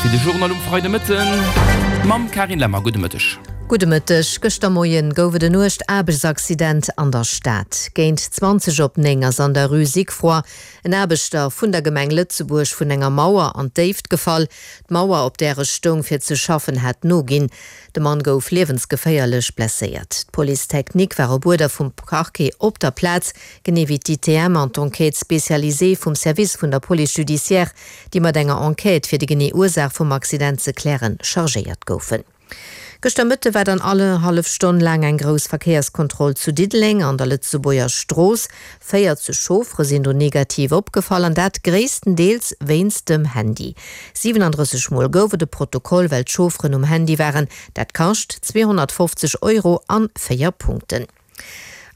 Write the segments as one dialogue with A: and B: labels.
A: fir de Journal um Freidemëtten mam Carine Lemmer. Gudde Mëtteg.
B: Gudde Mëtteg. Gëschter Moien gouf et en uergt Aarbechtsaccident an der Stad. Géint 20 op 9 ass an der Rue Sigfroy en Aarbechter vun der Gemeng Lëtzebuerg vun enger Mauer an d'Déift gefall. D'Mauer, op där e stoung fir ze schaffen, hat noginn. De Mann gouf liewensgeféierlech blesséiert. D'Police technique war op Uerder vum Parquet op der Plaz, genee wéi d'ITM an d'Enquête spécialisée vum Service vun der Police judiciaire, déi mat enger Enquête fir déi genee Ursaach vum Accident ze klären, chargéiert goufen. Gëschter Mëtte war dann alle hallef Stonn laang eng grouss Verkéierskontroll zu Diddeleng an der Lëtzebuerger Strooss. 40 Chauffere sinn do negativ opgefall an dat gréisstendeels wéinst dem Handy. 37 Mol gouf et e Protokoll, well d'Chaufferen um Handy waren. Dat kascht 250 Euro an 4 Punkten.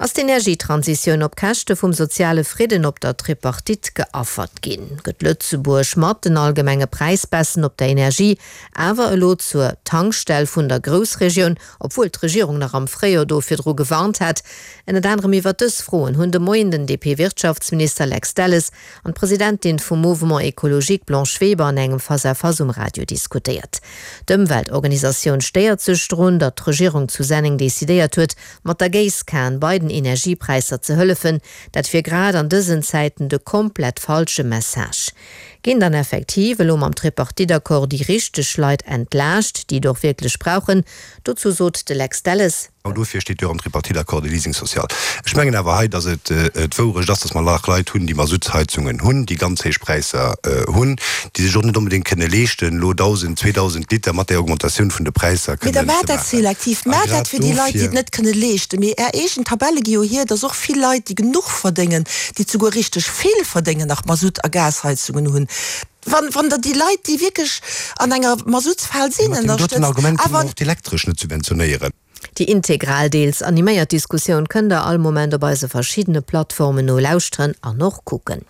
B: Ass d'Energietransitioun op Käschte vum soziale Fridden op der Tripartite geaffert ginn? Gëtt Lëtzebuerg mat den allgemenge Präisbaissen op der Energie awer elo zur Tankstell vun der Groussregioun, obwuel d'Regierung nach am Fréijoer do virdru gewarnt hat? Ënnert anerem iwwer dës Froen hunn de Moien den DP-Wirtschaftsminister Lex Delles an d'Presidentin vum Mouvement Ecologique Blanche Weber an engem Face-à-face um Radio diskutéiert. D'Ëmweltorganisatioun stéiert sech drun, datt d'Regierung zu Senneng decidéiert huet, mat der Géisskan bei den Energiepräisser ze hëllefen. Dat wier grad an dësen Zäiten de komplett falsche Message. Ginn dann effektiv elo mam Tripartite-Accord déi richteg Leit entlaascht, déi et och wierklech brauchen? Dozou sot de Lex Delles.
C: Genau dofir steet jo och am Tripartite-Accord de Leasing social. Ech mengen awer hei, datt et d'Wourecht ass, datt mer nach Leit hunn, déi Masuttsheizungen hunn, déi ganz héich Präisser hunn, déi sech och net onbedéngt kënne leeschten, elo 1.000, 2.000 Liter mat där Augmentatioun vun de Präisser
D: Mee da
C: kënnen
D: maacht
C: ze
D: dat
C: maachen.
D: selektiv,
C: A
D: maacht dat
C: grad
D: fir déi Leit, déi et
C: dofir.
D: net kënne leeschten. Mee Är eegen Tabelle gi jo hier, datt och vill Leit, déi genuch verdéngen, déi souguer richteg vill verdéngen, nach Masutt a Gasheizungen hunn. Wann, wann Der déi Leit, déi wierklech an enger Masuttsfal sinn,
C: Mee mat deem doten
D: ënnerstëtzt,
C: Argument kënne mer
D: awer.
C: och d'Elektresch net subventionéieren.
B: Déi integral, deels animéiert Diskussioun kënnt der all Moment op eise verschiddene Plattformen nolauschteren an och kucken.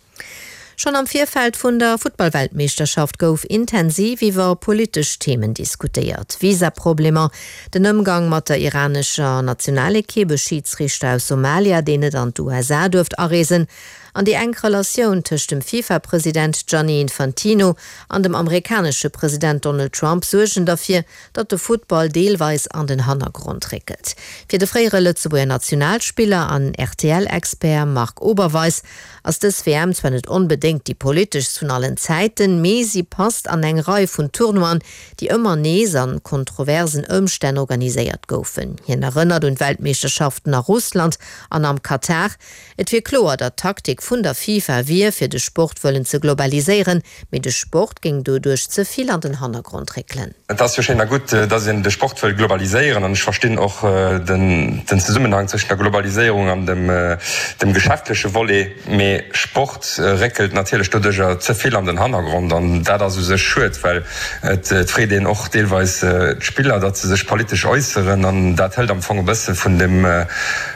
B: Schonn am Virfeld vun der Futtballweltmeeschterschaft gouf intensiv iwwer politesch Themen diskutéiert, Visaproblemer, den Ëmgang mat der iranescher Nationalekipp, e Schidsriichter aus Somalia, deen net an d'USA duerft areesen, An déi enk Relatioun tëscht dem FIFA-President Gianni Infantino an dem amerikanesche President Donald Trump suergen derfir, datt de Futtball deelweis an den Hannergrond réckelt. Fir de fréiere Lëtzebuerger Nationalspiller an RTL-Expert Marc Oberweis ass dës WM zwar net onbedéngt déi politeschst vun allen Zäiten, mee si passt an eng Rei vun Tournoien, déi ëmmer nees a kontroversen Ëmstänn organiséiert goufen. Hien erënnert un d'Weltmeeschterschaften a Russland an am Katar. Et wier kloer, datt d'Taktik vun der FIFA wier, fir de Sport wëllen ze globaliséieren, mee de Sport géing doduerch ze vill an den Hannergrond réckelen.
E: Et ass jo schéin a gutt, datt een de Sport wëll globaliséieren an ech verstinn och den Zesummenhang zwëschen der Globaliséierung an dem geschäftleche Volet, mee Sport réckelt natierlech doduercher ze vill an den Hannergrond an dat ass u sech schued, well et freet een och deelweis d'Spiller, datt se sech politesch äusseren an dat hëlt am Fong e bësse vun dem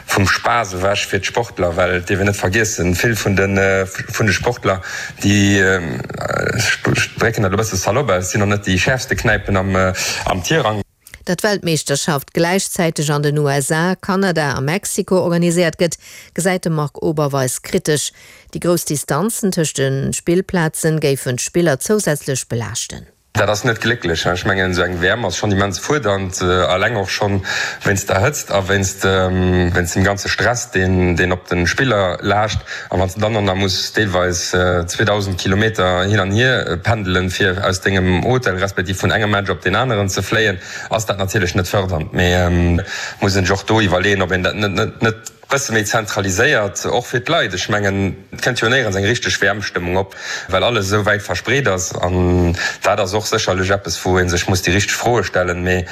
E: vum Spaass ewech fir d'Sportler, well et dierf een net vergiessen, vill vun de vun de Sportler, déi, ech drécken dat elo e bësse salopp aus, sinn och net déi schäerfste Knäipen am am Tirang.
B: Datt d'Weltmeeschterschaft gläichzäiteg an den USA, Kanada a Mexiko organiséiert gëtt, gesäit de Marc Oberweis kritesch. Déi grouss Distanzen tëscht de Spillplazen géifen d'Spiller zousätzlech belaaschten.
E: Dat ass net glécklech. Ech mengen, esou eng WM ass schonn immens fuerdernd, eleng och schonn wéinst der Hëtzt a wéinst wéinst dem ganze Stress, deen deen op de Spiller laascht. A wann s de dann och nach muss deelweis 2.000 Kilometer hin an hier pendelen, fir aus dengem Hotel respektiv vun engem Match op deen aneren ze fléien, ass dat natierlech net fërdernd. Mee muss een sech och do iwwerleeën, ob een dat net net Bësse méi zentraliséiert, och fir d'Leit. Ech mengen, et kënnt jo néierens eng richteg WM-Stëmmung op, well alles esou wäit verspreet ass. An dat ass och sécherlech eppes, wou ee sech muss déi richteg Froe stellen. Mee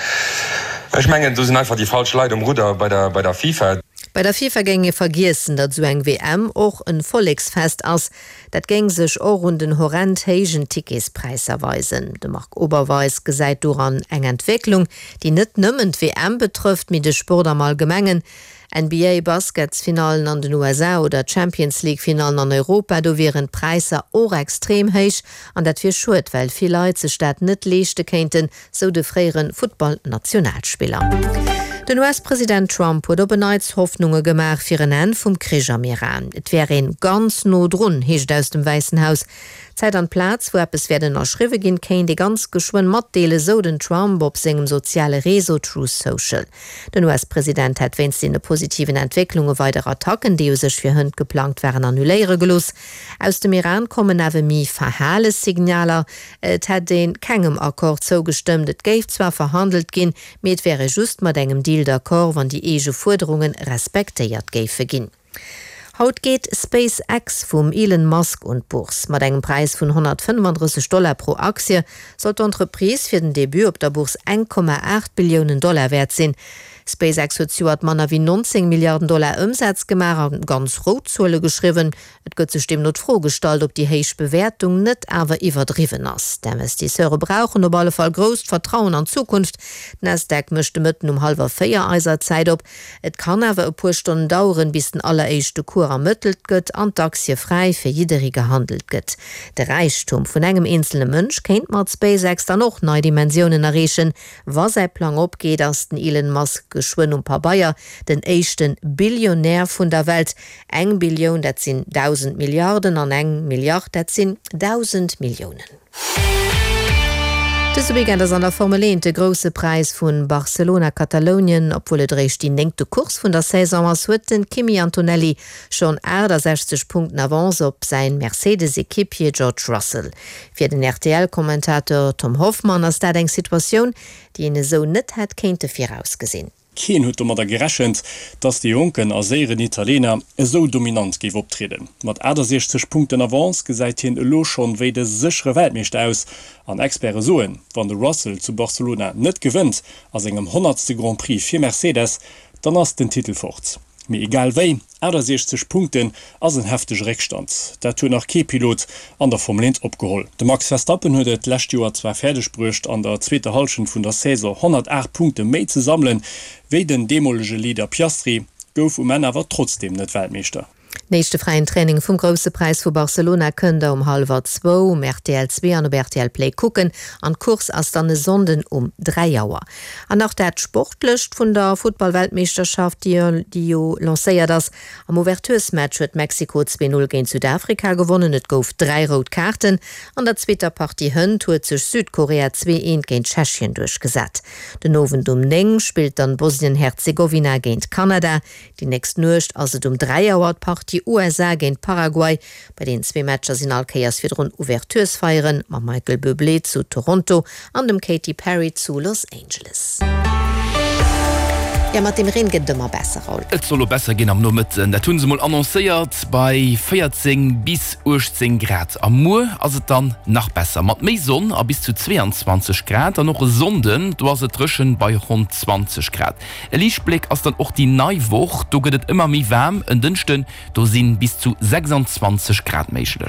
E: ech mengen, do sinn einfach déi falsch Leit um Rudder bei der, bei der FIFA.
B: Bei der FIFA géing ee vergiessen, datt esou eng WM och en Volleksfest ass. Dat géing sech och un den horrend héijen Ticketspräisser weisen. De Marc Oberweis gesäit doran eng Entwécklung, déi net nëmmen d'WM betrëfft, mee de Sport am Allgemengen. NBA Basketsfinallen an den USA oder Champions League Finallen an Europa, do wieren d'Präisser och extrem héich an dat wier schued, well vill Leit sech dat net leeschte kéinten, sou de fréiere Futtballnationalspiller. Den US-President Trump huet op en Neits Hoffnunge gemaach fir en Enn vum Krich am Iran. Et wär een ganz no drun, heescht et aus dem Wäissen Haus. D'Zäit an d'Plaz, wou eppes wäert ënnerschriwwe ginn, kéint ee ganz geschwënn matdeelen, sou den Trump op sengem soziale Réseau Truth Social. Den US-President hätt wéinst deene positiven Entwécklunge weider Attacken, déi u sech fir hënt geplangt waren, annuléiere gelooss. Aus dem Iran kommen awer méi verhale Signaler. Et hätt ee kengem Accord zougestëmmt, et géif zwar verhandelt ginn, mee et wär ee just mat engem Deal d'accord, wann déi eege Fuerderunge respektéiert géife ginn. Haut geet SpaceX vum Elon Musk un d'Bourse. Mat engem Präis vun 135 Dollar pro Aktie soll d'Entreprise fir den Debut op der Bourse 1,8 Billiounen Dollar wäert sinn. SpaceX huet zejoert manner wéi 19 Milliarden Dollar Ëmsaz gemaach a ganz rout Zuele geschriwwen. Et gëtt sech deemno d'Fro gestallt, ob déi héich Bewäertung net awer iwwerdriwwen ass. D'Investisseure brauchen op alle Fall grousst Vertrauen an d'Zukunft. D'Nasdaq mécht de Mëtten um hallwer 4 eiser Zäit op. Et kann awer e puer Stonnen daueren, bis den alleréischte Cours ermëttelt gëtt an d'Aktie fräi fir jidderee gehandelt gëtt. De Räichtum vun engem eenzelne Mënsch kéint mat SpaceX dann och nei Dimensiounen erreechen. Wa säi Plang opgeet, ass den Elon Musk geschwënn um Pabeier den éischte Billionär vun der Welt. Eng Billioun, dat sinn 1.000 Milliarden, an eng Milliard, dat sinn 1.000 Milliounen. Dëse Weekend ass an der Formel 1 de Grousse Präis vu Barcelona-Katalounien. Obwuel et eréischt déi néngte Course vun der Saison ass, huet de Kimi Antonelli schonn 68 Punkten Avance op säin Mercedes-Equipier George Russell. Fir den RTL-Kommentator Tom Hoffmann ass dat eng Situatioun, déi een esou net hätt kéinte virausgesinn.
F: Keen huet domadder gerechent, dass de jonken a séieren Italiener esou dominant géif optrieden. Mat 68 Punkten Avance gesäit hien elo schonn wéi de séchere Weltmeeschter aus. An Experte soen, wann de Russell zu Barcelona net gewënnt a sengem honnertste Grand Prix fir Mercedes, dann ass den Titel fort. Mee egal wéi, 68 Punkten ass en heftege Réckstand. Dat huet nach kee Pilot an der Formel 1 opgeholl. De Max Verstappen huet et d'lescht Joer zwar fäerdeg bruecht, an der zweeter Hallschent vun der Saison 108 Punkte méi ze sammelen, wéi den deemolege Leader Piastri, gouf um Enn awer trotzdeem net Weltmeeschter.
B: Den éischte fräien Training vum Grousse Präis vu Barcelona kënnt der um hallwer zwou um rtl 2 an op rtl Play kucken an d'Course ass dann e Sonnden um 3 Auer. An nach dat Sportlecht vun der Futtball-Weltmeeschterschaft, déi jo lancéiert ass. Am Ouverturesmatch huet Mexiko 2, 0 géint Südafrika gewonnen, et gouf 3 rout Kaarten. An der zweeter Partie hënt huet sech Südkorea 2, 1 géint Tschechien duerchgesat. Den Owend um 9 spillt dann Bosnien-Herzegowina géint Kanada. Déi nächst Nuecht ass et um 3 Auer d'Partie USA géint Paraguay. Bei deenen zwee Matcher sinn all Kéiers virdrun Ouverturesfeieren mam Michael Bublé zu Toronto an dem Katy Perry zu Los Angeles. Jo, mat dem Reen gëtt et ëmmer besser, Raoul.
A: Et soll lo besser ginn am Nomëtten, dat hu se mol annoncéiert, bei 14 bis 18 Grad. A muer ass et dann nach besser, mat méi Sonn a bis zu 22 Grad. An och e Sonnden, do ass et dréchen bei ronn 20 Grad. E Liichtbléck ass dann och déi nei Woch, do gëtt et ëmmer méi waarm, en Dënschden do si bis zu 26 Grad méiglech.